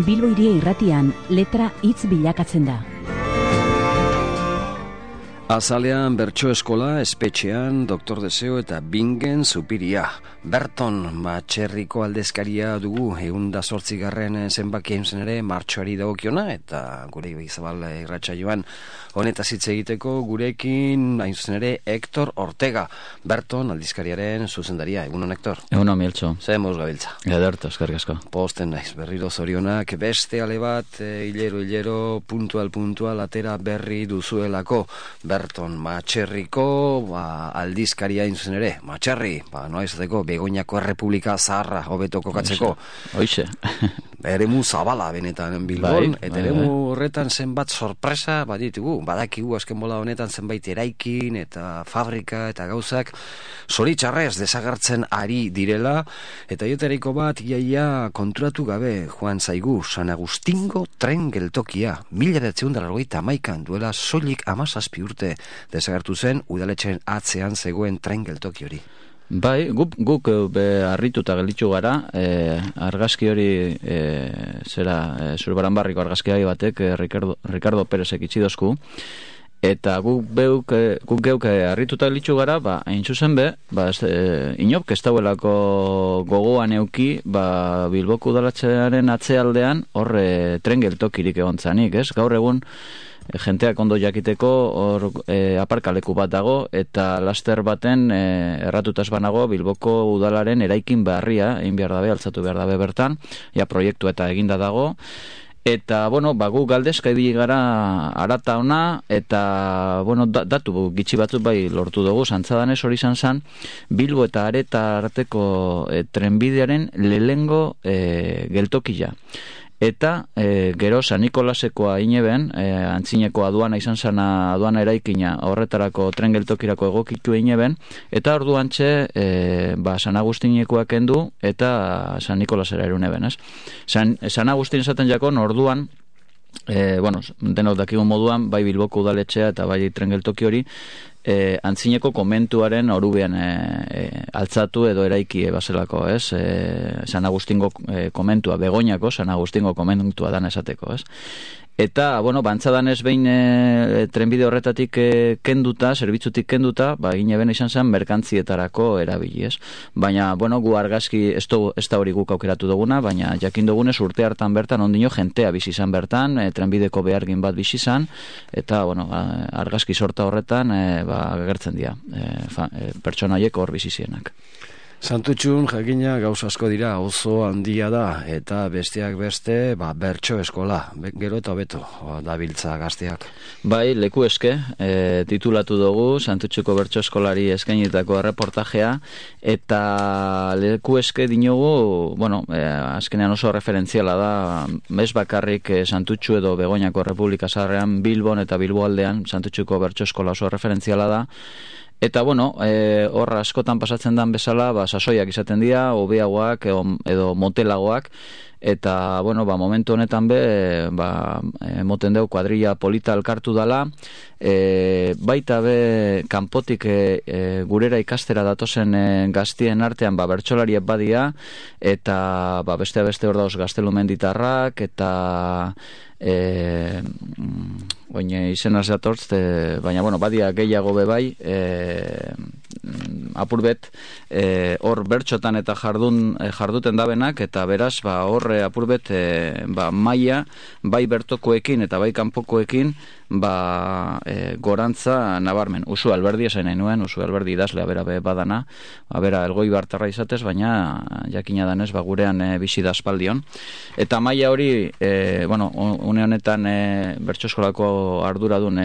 Bilbo Hiria Irratian letra hitz bilakatzen da. Azalean bertso eskola, espetxean, Doktor Deseo eta Bingen Zupiria. Berton, Matxerriko aldezkaria dugu, 108. zenbakia zen ere martxoari dagokiona, eta gure Izabal irratsaioan honetaz hitz egiteko gurekin, hain zuzen ere, Hector Ortega. Berton, aldizkariaren zuzendaria. Egunon, Hector? Egunon, Mieltxo. Zer moz gabiltza? Ederto, eskerrik asko. Posten naiz, berriro zorionak, beste ale bat, hilero, puntual, atera berri duzuelako. Berton, Matxerriko aldizkaria hain zuzen ere. Matxerri, noa izateko, Begoñako Errepublika zaharra hobeto kokatzeko. Hoixe. Eremu zabala benetan Bilbon, eta eremu horretan zenbat sorpresa baditugu. Badakigu azken bola honetan zenbait eraikin eta fabrika eta gauzak zoritxarrez desagertzen ari direla, eta joteriko bat iaia konturatu gabe joan zaigu San Agustingo tren geltokia 1981 duela soilik 17 urte desagertu zen udaletxen atzean zegoen tren geltoki hori. Bai, guk harrituta gelditu gara, argazki hori Zurbaranbarriko argazkiari batek, Ricardo Pérezek itxidozku, eta guk geuk harrituta gelditu gara, hain zuzen inop ez dauelako gogoan euki, Bilboko udaletxearen atzealdean horre tren geltokirik egon zanik, ez? Gaur egun jenteak ondo jakiteko hor aparkaleku bat dago, eta laster baten erratutaz banago Bilboko udalaren eraikin berria egin behar dabe, altzatu behar dabe bertan, proiektu eta eginda dago, eta, gu galdezka ibili gara arata ona, eta, datu gitxi batzuk bai lortu dugu, zantzadanez hori zan, Bilbo eta Areta arteko trenbidearen lehengo geltokia. Eta gero San Nikolasekoa ineben, antzineko aduana izan zana aduana eraikina horretarako tren geltokirako egokitu ineben, eta orduantxe San Agustinekoak kendu eta San Nikolasera eruneben, ez? San Agustin esaten jakon orduan, denok dakigun moduan, bai Bilboko udaletxea eta bai tren geltoki hori, antzineko komentuaren orubean altzatu edo eraiki bazelako, ez? San Agustingo komentua, Begoñako San Agustingo komentua dan esateko, ez? Eta, bantzadanez behin trenbide horretatik kenduta, zerbitzutik kenduta, gineben izan zen merkantzietarako erabili, ez? Baina, gu argazki, ez da hori guk aukeratu duguna, baina jakin dugunez urte hartan bertan, ondino jentea bizi izan bertan, trenbideko behargin bat bizi izan, eta, argazki sorta horretan, agertzen dira, pertsonaiek hor bizi zienak. Santutxun, jakina, gauz asko dira, oso handia da, eta besteak beste, bertso eskola, gero eta beto, dabiltza gazteak. Bai, leku eske, titulatu dugu, Santutxuko bertso eskolari eskainitako reportajea, eta leku eske dinogu, azkenean oso referentziala da, bez bakarrik Santutxu edo Begoñako Errepublika zaharrean, Bilbon eta Bilboaldean, Santutxuko bertso eskola oso referentziala da, eta, hor askotan pasatzen dan bezala, sasoiak izaten dira, hobeagoak edo motelagoak, eta, momentu honetan moten deu kuadrilla polita elkartu dala, baita kanpotik gurera ikastera datozen gaztien artean bertsolariek badia, eta beste hor dauz gaztelumenditarrak, eta izenaz datortz, baina badia gehiago bebai, apurbet hor bertxotan eta jarduten dabenak, eta beraz hor apurbet maia bai bertokoekin eta bai kanpokoekin gorantza nabarmen. Usu Alberdi esan nahi nuen, Usu Alberdi idazlea bera badana, elgoi bartarra izatez, baina jakina danez gurean bizi da aspaldion. Eta maila hori, une honetan bertso eskolako arduradun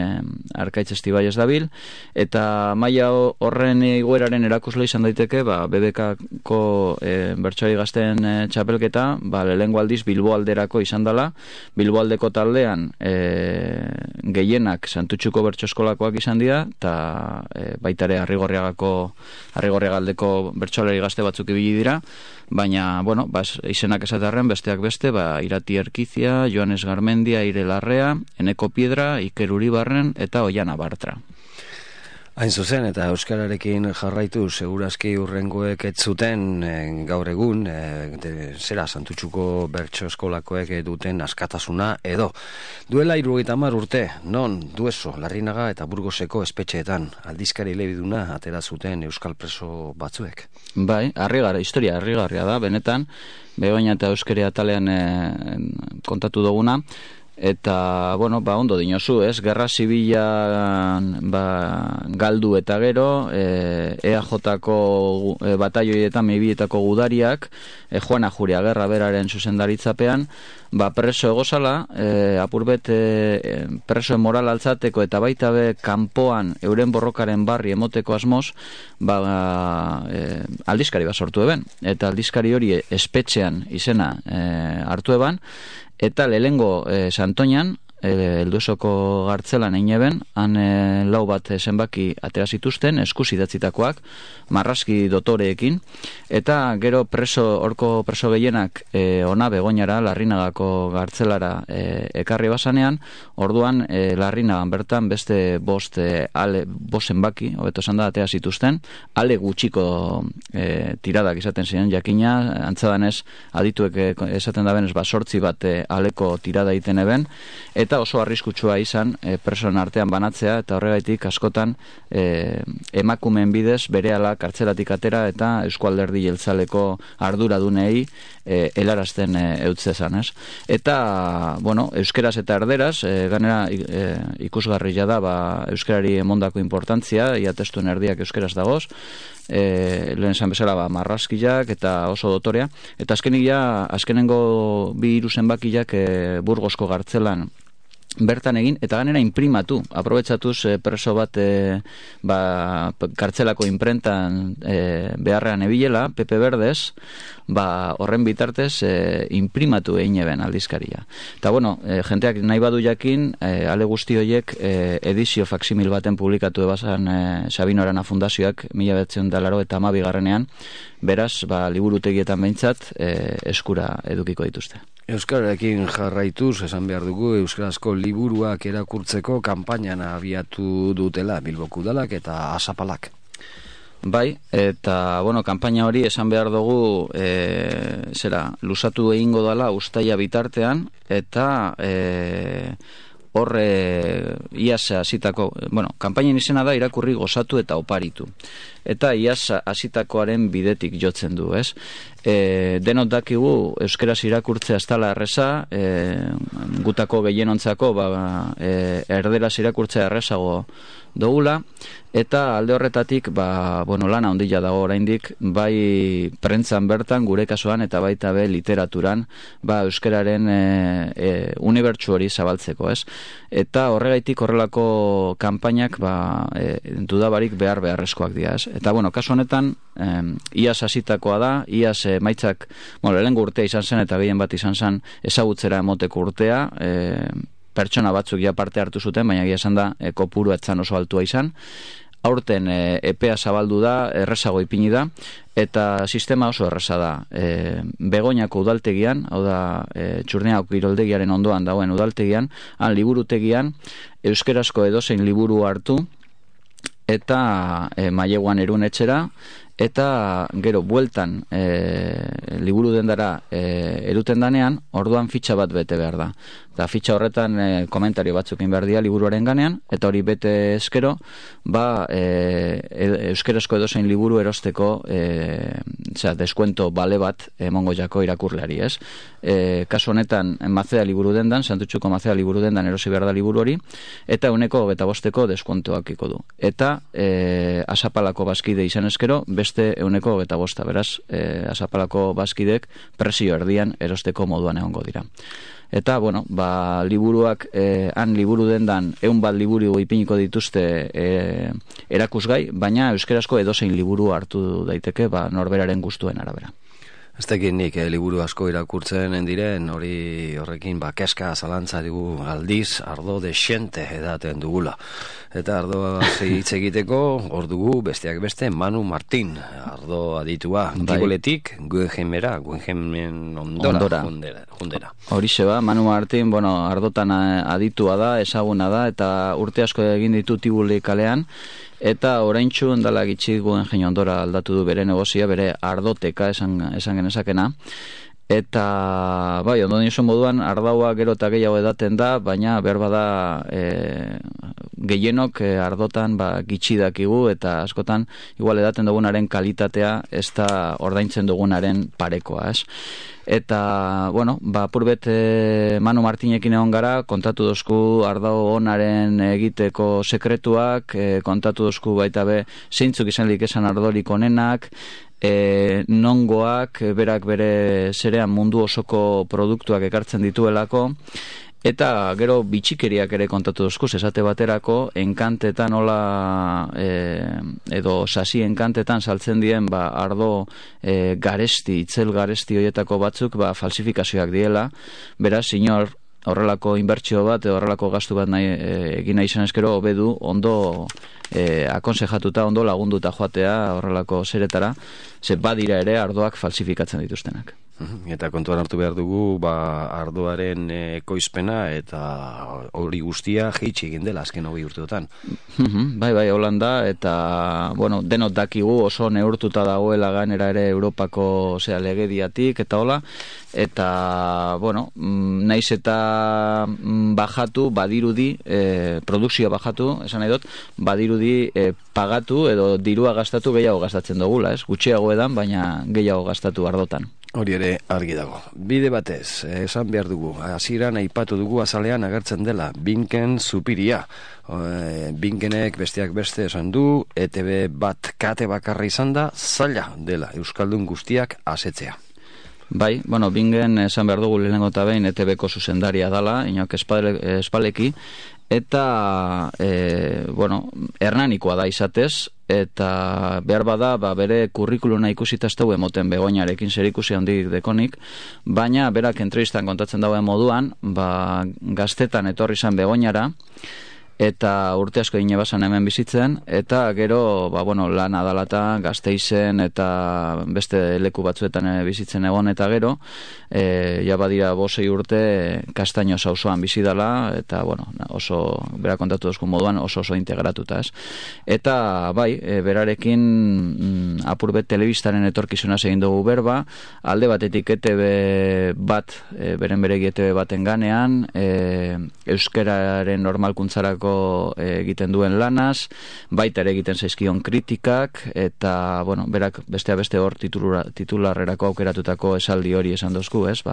Arkaitz Estibaiez dabil, eta maila horren igoeraren erakusle izan daiteke, BBK-ko bertsoari gazten txapelketa, lehengo aldiz Bilboalderako izan dela, Bilboaldeko taldean gehienak Santutxuko bertso eskolakoak izan dira, eta baitare Arrigorriagaldeko bertsolari gazte batzuk ibili dira, baina, izenak esatarren besteak beste, Irati Erkizia, Joanes Garmendia, Aire Larrea, Eneko Piedra, Iker Uribarren eta Oiana Bartra. Hain zuzen, eta euskararekin jarraitu segurazki urrengoek ez zuten gaur egun, zera Santutxuko bertso eskolakoek duten askatasuna edo. Duela 70 urte, non Dueso, Larrinaga eta Burgoseko espetxeetan aldizkari elebiduna atera zuten euskal preso batzuek. Bai, historia harrigarria da, benetan, Begoña eta Euskari atalean kontatu duguna. Eta, ondo dinozu, ez? Gerra Zibilan galdu eta gero, EAJ-ko bataioietan mebietako gudariak, Juana Juria Gerra beraren zuzendaritzapean, preso egozala, apurbet presoen moral altzateko eta baita be kanpoan euren borrokaren barri emoteko asmoz, aldizkari bat sortu eben. Eta aldizkari hori espetxean izena hartu eban, eta lehengo Santoñan, Elduesoko gartzelan eineben, han lau bat zenbaki atera zituzten, eskuz idatzitakoak, marrazki dotoreekin, eta gero horko preso gehienak ona Begoñara, Larrinagako gartzelara ekarri basanean, orduan Larrinagan bertan beste bost zenbaki, hobeto esan da, atera zituzten, ale gutxiko tiradak izaten ziren, jakina, antzadanez, adituek esaten da benez, 8 bat aleko tirada iten eben, eta oso arriskutsua izan presoen artean banatzea, eta horregaitik askotan emakumeen bidez berehala kartzelatik atera eta Eusko Alderdi Jeltzaleko arduradunei helarazten eutzezan, ez? Eta, euskeraz eta erderaz, ganera ikusgarria da, euskarari emondako importantzia, ia testuen erdiak euskeraz dagoz, lehen esan bezala marrazkiak eta oso dotorea, eta azkenengo 2 zenbakiak Burgosko gartzelan bertan egin, eta ganera imprimatu, aprobetsatuz preso bat kartzelako imprentan beharrean ebilela, Pepe Berdez, horren bitartez imprimatu egin eben aldizkaria. Eta jenteak nahi badu jakin, ale guzti horiek edizio faksimil baten publikatu ebazan Sabino Arana Fundazioak 1982 beraz, liburutegietan behintzat eskura edukiko dituzte. Euskararekin jarraituz, esan behar dugu, euskarazko liburuak erakurtzeko kanpainan abiatu dutela Bilboko Udalak eta Asapalak. Bai, eta, kanpaina hori esan behar dugu, lusatu egingo dela uztaila bitartean, eta iaz hasitako, kanpainen izena da irakurri gozatu eta oparitu. Eta iaz hasitakoaren bidetik jotzen du, ez? Denot dakigu euskeraz irakurtzea ez dela erreza, gutako gehienontzako erderaz irakurtzea errezago dugula, eta alde horretatik lana handia dago oraindik, bai prentzan bertan gure kasuan eta baita be literaturan euskeraren unibertsu hori zabaltzeko, ez? Eta horregaitik horrelako kanpainak dudabarik beharrezkoak dira, ez? Eta kasu honetan iaz hasitakoa da, iaz maitzak, lehengo urtea izan zen eta gehien bat izan zen ezagutzera emoteko urtea, pertsona batzuk ja parte hartu zuten, baina egia esan da kopuru etzan oso altua izan. Aurten epea zabaldu da, errezago ipini da, eta sistema oso erreza da. Begoñako udaltegian, hau da Txurniako kiroldegiaren ondoan dagoen udaltegian, han liburutegian, euskerazko edozein liburu hartu, eta maileguan erun etxera, eta gero bueltan liburu dendara eruten danean, orduan fitxa bat bete behar da. Eta fitxa horretan komentario batzuk egin behar dira liburuaren ganean, eta hori bete eskero, euskerazko edozein liburu erosteko deskuento bale bat emongo jako irakurleari, ez? Kasu honetan Maceda liburu dendan, Santutxuko Maceda liburu dendan erosi behar da liburu hori, eta 125 deskuentoak iko du. Eta Asapalako bazkide izan eskero, beste 125, beraz, Asapalako bazkidek presio erdian erosteko moduan egongo dira. Eta, liburuak, han liburu dendan 100 bat liburu ipiniko dituzte erakusgai, baina euskerazko edozein liburu hartu daiteke norberaren gustuen arabera. Ez tekin nik liburu asko irakurtzen diren, horrekin keska zalantza dugu aldiz, ardo desiente edaten dugula. Eta ardo hitz egiteko, hor dugu besteak beste Manu Martin, ardo aditua, Giboletik, Guggenheimen ondora. Horixe Manu Martin, ardotan aditua da, ezaguna da, eta urte asko egin ditu Tibuli kalean, eta oraintsu endala gitxi guen Ondora aldatu du bere negozia, bere ardoteka esan genezakena. Eta, bai, ondo niozu moduan, ardaua gero eta gehiago edaten da, baina behar bada gehienok ardotan gitxi dakigu, eta askotan, igual edaten dugunaren kalitatea, ez da ordaintzen dugunaren parekoa, ez? Eta, bueno, purbet Manu Martinekin egon gara, kontatu dozku ardau onaren egiteko sekretuak, kontatu dozku baita be, zeintzuk izanlik esan ardorik onenak, nongoak, berak bere zerean mundu osoko produktuak ekartzen dituelako, eta gero bitxikeriak ere kontatu dozkuz, esate baterako, enkantetan edo sasi enkantetan saltzen dien ardo garesti, itzel garesti horietako batzuk falsifikazioak diela, beraz, inor horrelako inbertsio bat, horrelako gastu bat egin nahi izan eskero, hobedu ondo akonsejatuta, ondo lagunduta joatea horrelako zeretara, ze badira ere ardoak falsifikatzen dituztenak. Eta kontuan hartu behar dugu, ardoaren ekoizpena eta hori guztia jeitsi egin dela azken 20 urteotan. Bai, Holanda, eta, bueno, denot dakigu oso neurtuta dagoela gainera ere Europako legediatik, eta hola, eta, bueno, naiz eta bajatu, badirudi, produkzioa bajatu, esan nahi dut, badirudi pagatu edo dirua gastatu gehiago gastatzen dugula, ez? Gutxiago edan, baina gehiago gastatu ardotan. Hori ere argi dago. Bide batez, esan behar dugu, hasieran aipatu dugu azalean agertzen dela, Binken Zupiria. Binkenek besteak beste esan du, ETB bat kate bakarra izan da, zaila dela Euskaldun guztiak asetzea. Bai, bueno, Bingen esan behar dugu lehenengo eta behin ETB-ko zuzendaria dala, inok espaleki, eta, bueno, hernanikoa da izatez, eta behar bada, bere kurrikuluna ikusita ez dugu emoten Begoñarekin zer ikusi handik dekonik, baina berak entrevistan kontatzen dauen moduan, gaztetan etorri izan Begoñara, eta urte asko egine basan hemen bizitzen, eta gero, bueno, lan adalata, Gasteizen eta beste leku batzuetan bizitzen egon, eta gero, ja badira 5 urte Kastaino auzoan bizi dela, eta, bueno, oso, bera kontatu dozku moduan, oso integratuta, ez? Eta, bai, berarekin apurbet telebistaren etorkizuna egin dugu berba, alde batetik ETB bat, beren beregi ETB baten ganean, euskararen normalkuntzarako egiten duen lanaz, baita ere egiten zaizkion kritikak, eta, bueno, berak beste hor titularrerako aukeratutako esaldi hori esan dozku, ez?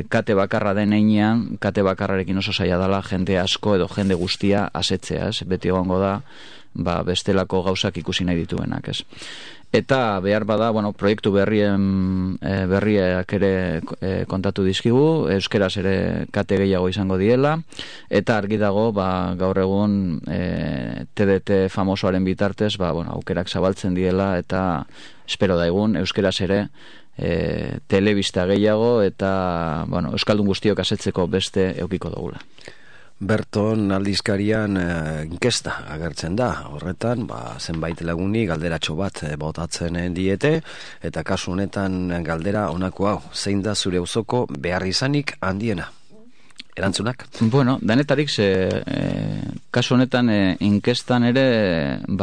Kate bakarra den einean, kate bakarrarekin oso zaila dela jende asko edo jende guztia asetzea, ez? Beti egongo da, bestelako gauzak ikusi nahi dituenak, ez? Eta behar bada, bueno, proiektu berriak ere kontatu dizkigu, euskeraz ere kate gehiago izango diela, eta argi dago, gaur egun TDT famosoaren bitartez, bueno, aukerak zabaltzen diela, eta espero da egun, euskeraz ere telebista gehiago, eta, bueno, euskaldun guztiok asetzeko beste eukiko dugula. Berton aldizkarian inkesta agertzen da, horretan, zenbait laguni galderatxo bat botatzen diete, eta kasu honetan galdera honako hau, zein da zure auzoko behar izanik handiena? Erantzunak? Bueno, danetarik kasu honetan inkestan ere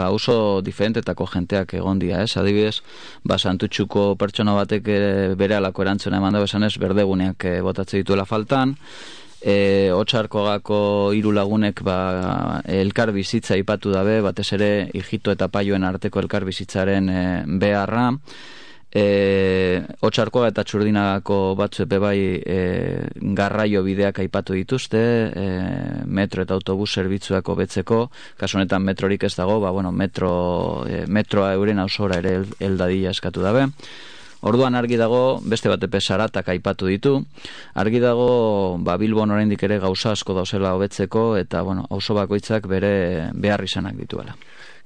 oso diferentetako jenteak egon dira, ez? Adibidez, Santutxuko pertsona batek bere alako erantzuna eman dago esanez, berdeguneak botatze dituela faltan, Otsarkogako 3 lagunek elkar bizitza ipatu dabe, batez ere Ijito eta Paioen arteko elkar bizitzaren beharra, Otsarkoga eta Txurdinagako batzu bai garraio bideak aipatu dituzte, metro eta autobus zerbitzuak hobetzeko, kasu honetan metrorik ez dago, bueno, metroa euren auzora ere heldadila eskatu dabe. Orduan argi dago, beste batepe Saratak aipatu ditu, argi dago Bilbon oraindik ere gauza asko dauzela hobetzeko, eta, bueno, auzo bakoitzak bere behar izanak dituela.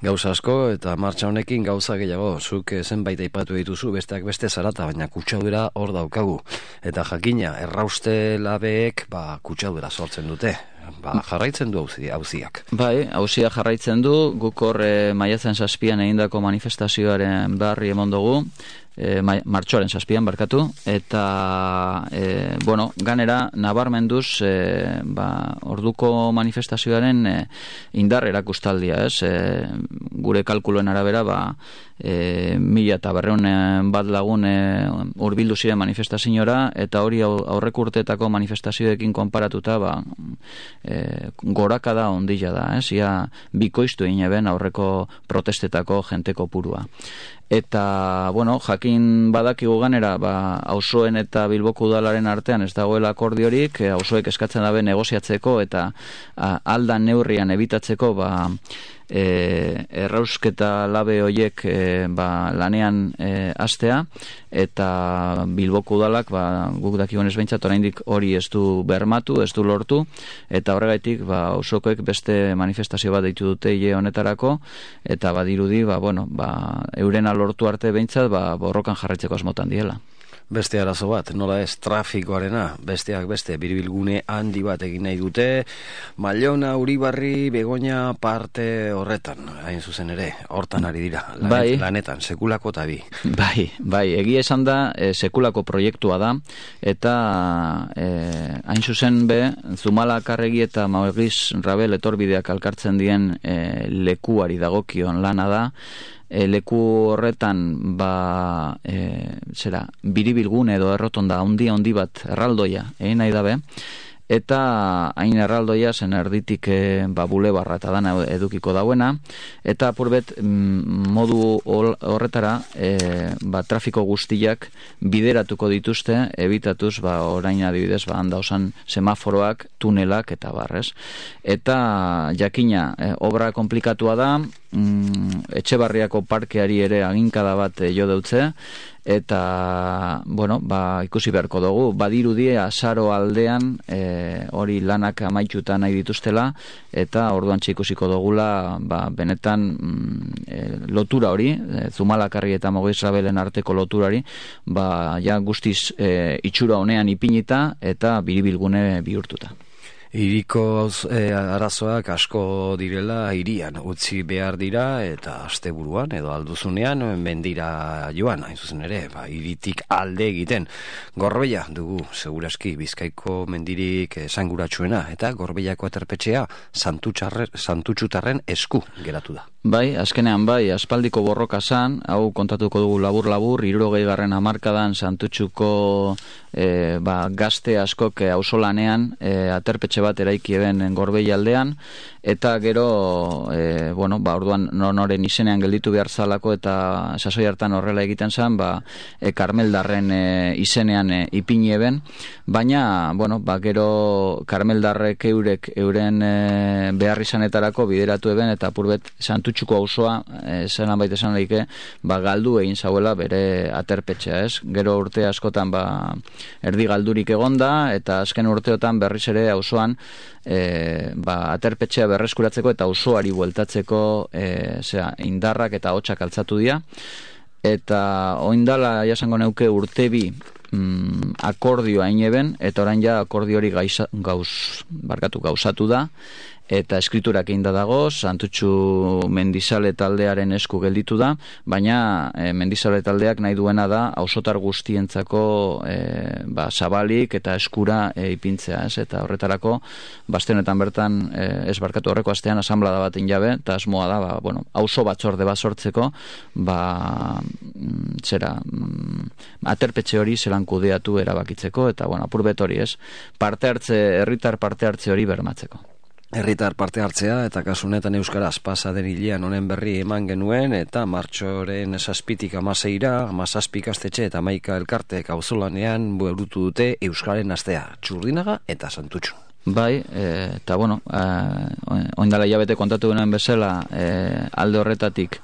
Gauza asko, eta martxa honekin gauza gehiago, zuk zenbait aipatu dituzu, besteak beste Sarata, baina kutsadura hor daukagu. Eta jakina, errauste labeek kutsadura sortzen dute. jarraitzen du auziak. Bai, auzia jarraitzen du, guk hor maiatzen 7an egindako manifestazioaren berri emon dugu, martxoaren 7an barkatu, eta ganera nabarmenduz orduko manifestazioaren indar erakustaldia, gure kalkuluen arabera 1.200 bat lagun hurbildu ziren manifestaziora, eta hori aurrek urteetako manifestazioekin konparatuta gorakada ondila da, ia bikoiztu ineben aurreko protestetako jenteko purua. Eta, jakin badakigu ganera, auzoen eta Bilboko udalaren artean ez dagoela akordiorik, auzoek eskatzen dabe negoziatzeko eta aldan neurrian ebitatzeko errausketa labe hoiek lanean hastea, eta Bilboko udalak guk dakigunez behintzat oraindik hori ez du bermatu, ez du lortu, eta horregaitik auzokoek beste manifestazio bat deitu dute hile honetarako, eta badirudi eurena lortu arte behintzat borrokan jarraitzeko asmotan diela. Beste arazo bat, nola ez, trafikoarena, besteak beste, biribilgune handi bat egin nahi dute, Mallona, Uribarri, Begoña parte horretan, hain zuzen ere, hortan ari dira, lanetan, sekulako eta bi. Bai, egia esan da, sekulako proiektua da, eta hain zuzen Zumalakarregi eta Mauriz Rabel etorbideak alkartzen dien lekuari dagokion lana da, leku horretan biribilgune edo errotonda handi bat erraldoia egin nahi dabe, eta hain erraldoia zen erditik bulebarra eta dana edukiko dauena, eta apurbet modu horretara trafiko guztiak bideratuko dituzte, ebitatuz orain adibidez handa osan semaforoak, tunelak eta barrez. Eta jakina obra komplikatua da, Etxebarriako parkeari ere aginkada bat jo deutze, eta ikusi beharko dugu, badirudi azaro aldean hori lanak amaituta nahi dituztela, eta orduan ikusiko dugula benetan lotura hori, Zumalakarri eta Mauriz Rabelen arteko loturari guztiz itxura honean ipinita eta biribilgune bihurtuta. Hiriko arazoak asko direla hirian utzi behar dira, eta asteburuan edo alduzunean mendira joan, hain zuzen ere, hiritik alde egiten. Gorbeia dugu seguraski Bizkaiko mendirik esanguratsuena, eta Gorbeiako aterpetxea Santutxutarren esku geratu da. Bai, azkenean aspaldiko borroka zan, hau kontatuko dugu labur-labur, 60. hamarkadan Santutxuko gazte askok auzolanean aterpetxe bat eraiki eben Gorbeia aldean, eta gero orduan noren izenean gelditu behar zalako, eta sasoi hartan horrela egiten zen, Karmeldarren izenean ipini eben, baina gero Karmeldarrek euren behar izanetarako bideratu eben, eta apurbet Santutxuko auzoa zelan baita esan daike galdu egin zauela bere aterpetxea, gero urte askotan erdi galdurik egonda, eta azken urteotan berriz ere auzoan aterpetxea berreskuratzeko eta auzoari bueltatzeko indarrak eta hotxak altzatu dira, eta oindala jasango neuke urtebi akordioa ineben, eta orain akordio hori gauzatu da, eta eskriturak egin dago, Santutxu Mendizale taldearen esku gelditu da, baina Mendizale taldeak nahi duena da auzotar guztientzako zabalik eta eskura ipintzea, eta horretarako honetan bertan horreko astean asanblada bat injabe, eta asmoa da auzo batzorde bat sortzeko aterpetxe hori zelan kudeatu erabakitzeko, eta apurbet hori herritar parte hartze hori bermatzeko. Herritar parte hartzea, eta kasunetan euskaraz pasa den hilean honen berri eman genuen, eta martxoren 7tik 16ra 17 ikastetxe eta 11 elkartek auzolanean burutu dute euskaren astea, Txurdinaga eta Santutxu. Bai, eta oindala hilabete kontatu genuen bezala, alde horretatik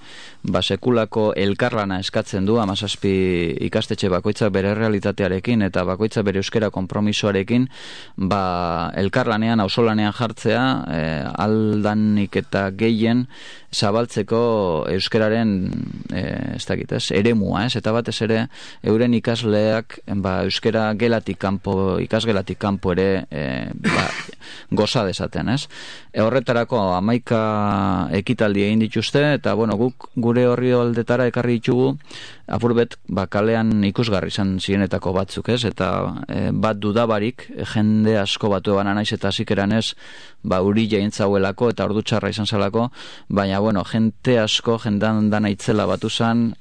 sekulako elkarlana eskatzen du 17 ikastetxe bakoitza bere realitatearekin eta bakoitza bere euskera konpromisoarekin elkarlanean, auzolanean jartzea, aldanik eta gehien zabaltzeko euskararen eremua, eta batez ere euren ikasleak euskara ikasgelatik kanpo ere goza dezaten, ez? Horretarako 11 ekitaldi egin dituzte, eta guk gure horri aldetara ekarri ditugu apurbet kalean ikusgarri izan zirenetako batzuk, ez? Eta bat dudabarik jende asko batu eban naiz eta zikeran ez uri jaintzauelako eta ordu txarra izan zelako, baina jente asko jendan dana itzela batu zan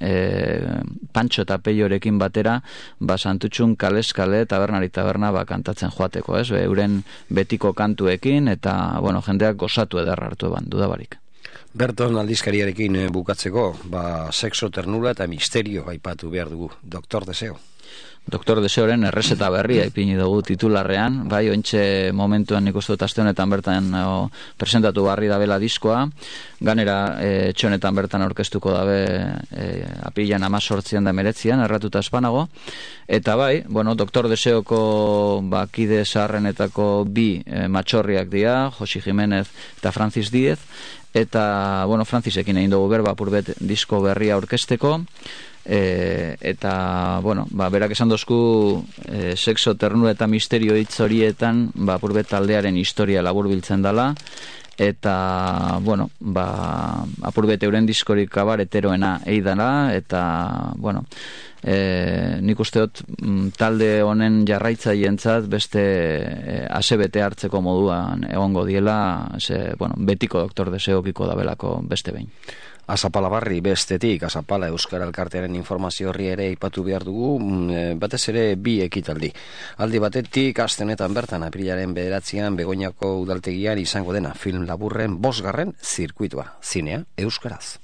Pantxo eta Peiorekin batera Santutxun kalez kale tabernari taberna kantatzen joateko, ez? Euren betiko kantuekin eta jendeak gozatu edarra hartu eban dudabarik. Berton aldizkariarekin bukatzeko, sexo, ternura eta misterio aipatu behar dugu. Doktor Deseo. Doktor Deseoren errezeta berria ipini dugu titularrean, ointxe momentuan nik uste dut aste honetan bertan presentatu barri dabela diskoa, ganera txonetan bertan aurkeztuko dabe apilan 18an da 19an, erratuta espanago, eta Doktor Deseoko kide zaharrenetako bi matxorriak dira, Josi Jimenez eta Francis Díez, eta Francisekin egin dugu berba apurbet disko berria aurkezteko, eta berak esan dozku sexo, ternura eta misterio hitz horietan apurbet taldearen historia laburbiltzen dela, eta apurbet euren diskorik kabareteroena eidala, eta nik uste dut talde honen jarraitzaientzat beste asebete hartzeko moduan egongo diela, betiko Doktor Deseokiko dabelako beste behin. Azapala barri bestetik, Azapala Euskara Elkartearen informazio horri ere ipatu behar dugu, batez ere bi ekitaldi. Aldi batetik, astenetan bertan, aprilaren 9an, Begoñako udaltegian izango dena film laburren 5. zirkuitua, zinea Euskaraz.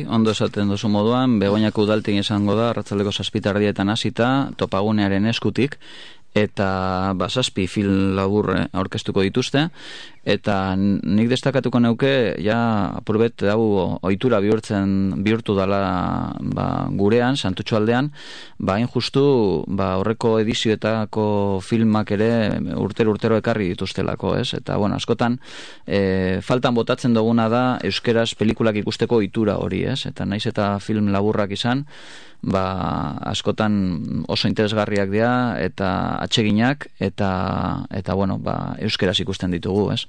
Ondo esaten duzu moduan, Begoñako udaltegian izango da, arratsaldeko 7:00 hasita, Topagunearen eskutik, eta 7 film labur aurkeztuko dituzte, eta nik destakatuko neuke apurbet hau ohitura bihurtu dala gurean, Santutxu aldean, hain justu horreko edizioetako filmak ere urtero ekarri dituztelako, ez? Eta askotan faltan botatzen duguna da euskeraz pelikulak ikusteko ohitura hori, ez? Eta naiz eta film laburrak izan, askotan oso interesgarriak dira eta atseginak eta euskeraz ikusten ditugu, ez?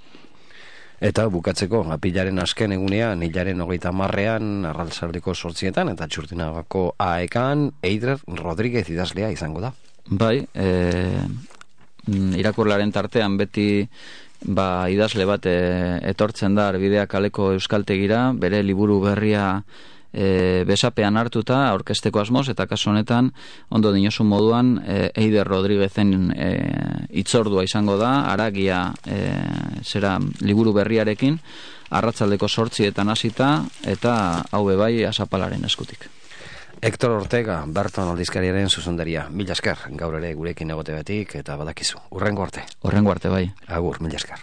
Eta bukatzeko, apilaren azken egunean, hilaren 30an, arratsaldeko 8etan, eta Txurtinagako AEKan, Eider Rodríguez idazlea izango da. Irakurlaren tartean beti idazle bat etortzen da Arbidea kaleko euskaltegira, bere liburu berria besapean hartuta aurkezteko asmoz, eta kasu honetan ondo dinosun moduan Eider Rodríguezen hitzordua izango da, Aragia liburu berriarekin, arratsaldeko 8etan hasita, eta hau bai Azapalaren eskutik. Hector Ortega, Berton aldizkariaren zuzendaria, mila esker, gaur ere gurekin egote betik, eta badakizu, urrengo arte. Urrengo arte bai. Agur, mila esker.